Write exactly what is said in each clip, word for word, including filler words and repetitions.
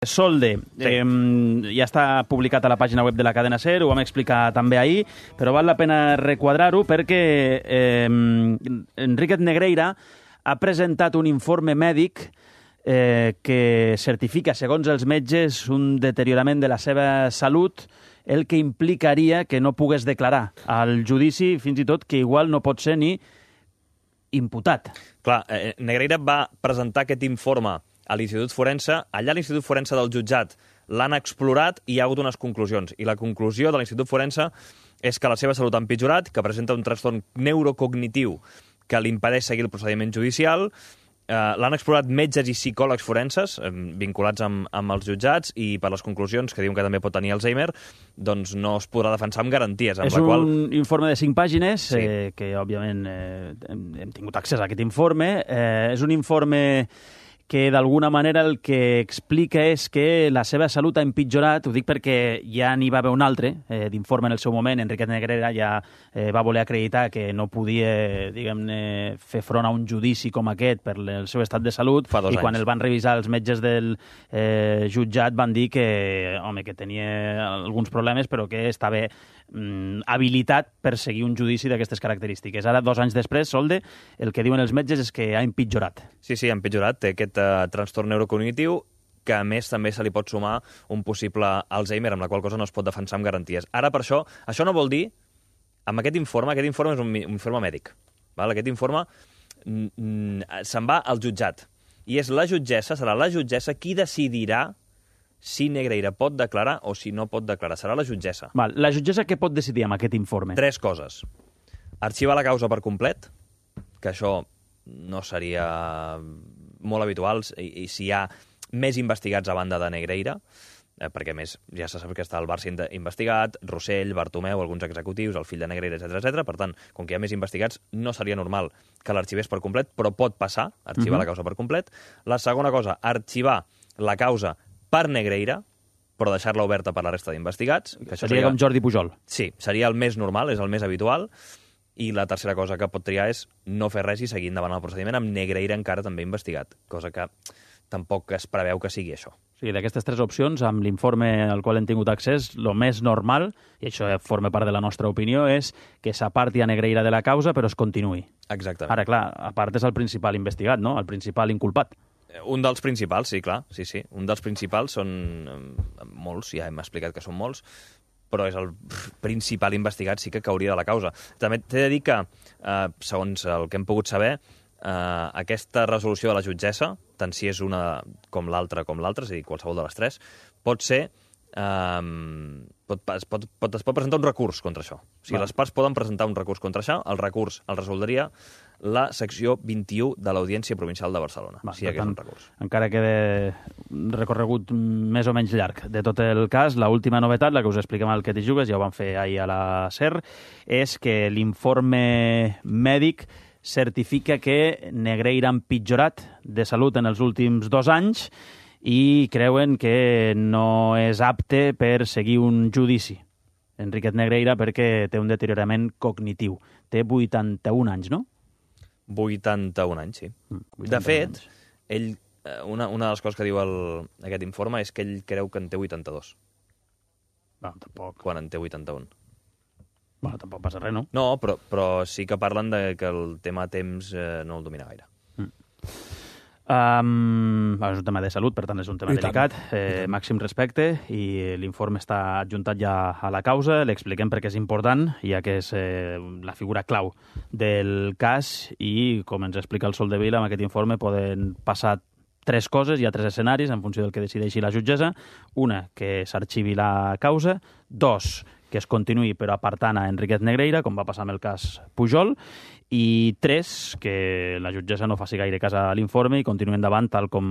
Solde, Sí. eh, ja està publicat a la pàgina web de la cadena SER, ho vam explicar també ahir, però val la pena requadrar-ho perquè eh, Enriquez Negreira ha presentat un informe mèdic eh, que certifica, segons els metges, un deteriorament de la seva salut, el que implicaria que no pogués declarar al judici, fins i tot que igual no pot ser ni imputat. Clar, eh, Negreira va presentar aquest informe a l'Institut Forense. Allà a l'Institut Forense del jutjat l'han explorat i hi ha hagut unes conclusions. I la conclusió de l'Institut Forense és que la seva salut ha empitjorat, que presenta un trastorn neurocognitiu que li impedeix seguir el procediment judicial. Eh, l'han explorat metges i psicòlegs forenses eh, vinculats amb, amb els jutjats i per les conclusions, que diuen que també pot tenir Alzheimer, doncs no es podrà defensar amb garanties. Amb és la un qual... informe de cinc pàgines, Sí. eh, que òbviament eh, hem, hem tingut accés a aquest informe. Eh, és un informe que d'alguna manera el que explica és que la seva salut ha empitjorat. Ho dic perquè ja n'hi va haver un altre eh, d'informe en el seu moment. Enriquez Negreira ja eh, va voler acreditar que no podia, diguem-ne, fer front a un judici com aquest per el seu estat de salut. Fa dos I quan anys. el van revisar els metges del eh, jutjat van dir que, home, que tenia alguns problemes, però que estava mm, habilitat per seguir un judici d'aquestes característiques. Ara, dos anys després, Solde, el que diuen els metges és que ha empitjorat. Sí, sí, ha empitjorat. Té aquest uh, trastorn neurocognitiu que, a més, també se li pot sumar un possible Alzheimer, amb la qual cosa no es pot defensar amb garanties. Ara, per això, això no vol dir, amb aquest informe, aquest informe és un, un informe mèdic, val? Aquest informe mm, mm, se'n va al jutjat, i és la jutgessa, serà la jutgessa qui decidirà si Negreira pot declarar o si no pot declarar. Serà la jutgessa. Val. La jutgessa què pot decidir amb aquest informe? Tres coses. Arxivar la causa per complet, que això no seria molt habitual, i, i si hi ha més investigats a banda de Negreira, eh, perquè a més ja se sap que està el Barça investigat, Rossell, Bartomeu, alguns executius, el fill de Negreira, etcètera, etcètera. Per tant, com que hi ha més investigats, no seria normal que l'arxivés per complet, però pot passar, arxivar Mhm. la causa per complet. La segona cosa, arxivar la causa per Negreira, però deixar-la oberta per la resta d'investigats. Que això Seria com Jordi Pujol. Sí, seria el més normal, és el més habitual. I la tercera cosa que pot triar és no fer res i seguir endavant el procediment amb Negreira encara també investigat, cosa que tampoc es preveu que sigui això. O sigui, d'aquestes tres opcions, amb l'informe al qual hem tingut accés, el més normal, i això forma part de la nostra opinió, és que s'aparti a Negreira de la causa, però es continuï. Exactament. Ara, clar, a part és el principal investigat, no? El principal inculpat. Un dels principals, sí, clar, sí, sí. Un dels principals són eh, molts, ja hem explicat que són molts, però és el principal investigat, sí que cauria de la causa. També t'he de dir que, eh, segons el que hem pogut saber, eh, aquesta resolució de la jutgessa, tant si és una com l'altra com l'altra, és a dir, qualsevol de les tres, pot ser... Eh, pot, es, pot, pot, es pot presentar un recurs contra això. O sigui, Val. les parts poden presentar un recurs contra això, el recurs el resoldria la secció vint-i-u de l'Audiència Provincial de Barcelona, Va, si hi per hagués tant, un recurs. encara queda un recorregut més o menys llarg de tot el cas. L'última novetat, la que us expliquem al Que t'hi jugues, ja ho vam fer ahir a la SER, és que l'informe mèdic certifica que Negreira ha empitjorat de salut en els últims dos anys i creuen que no és apte per seguir un judici. Enriquez Negreira perquè té un deteriorament cognitiu. Té vuitanta-un anys, no? vuitanta-un anys, sí. Mm, De fet, anys. ell, eh, una, una de les coses que diu el, aquest informe és que ell creu que en té vuitanta-dos, Bueno, tampoc, quan en té vuitanta-un. bueno, tampoc passa res, no? No, però, però sí que parlen de que el tema temps eh, no el domina gaire. Um, és un tema de salut, per tant és un tema I tant, delicat, i eh, tant. màxim respecte, i l'informe està adjuntat ja a la causa, l'expliquem perquè és important, ja que és eh, la figura clau del cas, i com ens explica el Soldevila, amb aquest informe poden passar tres coses, hi ha tres escenaris en funció del que decideixi la jutgessa. Una, que s'arxivi la causa. Dos, que es continuï però apartant a Enriquez Negreira, com va passar amb el cas Pujol. I tres, que la jutgessa no faci gaire cas a l'informe i continuï endavant tal com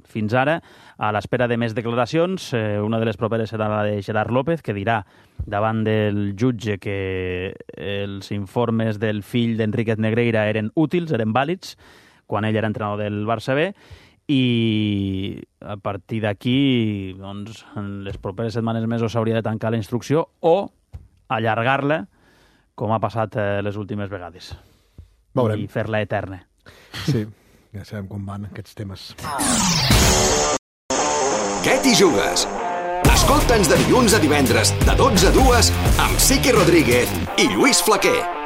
fins ara. A l'espera de més declaracions, eh, una de les properes serà la de Gerard López, que dirà davant del jutge que els informes del fill d'Enriquez Negreira eren útils, eren vàlids, quan ell era entrenador del Barça B, i a partir d'aquí, doncs, en les properes setmanes mesos s'hauria de tancar la instrucció o allargar-la, com ha passat eh, les últimes vegades. Veurem. I fer-la eterna. Sí, ja sabem com van aquests temes. Què t'hi jugues? Escolta'ns de dilluns a divendres, de dotze a dues, amb Sique Rodríguez i Lluís Flaquer.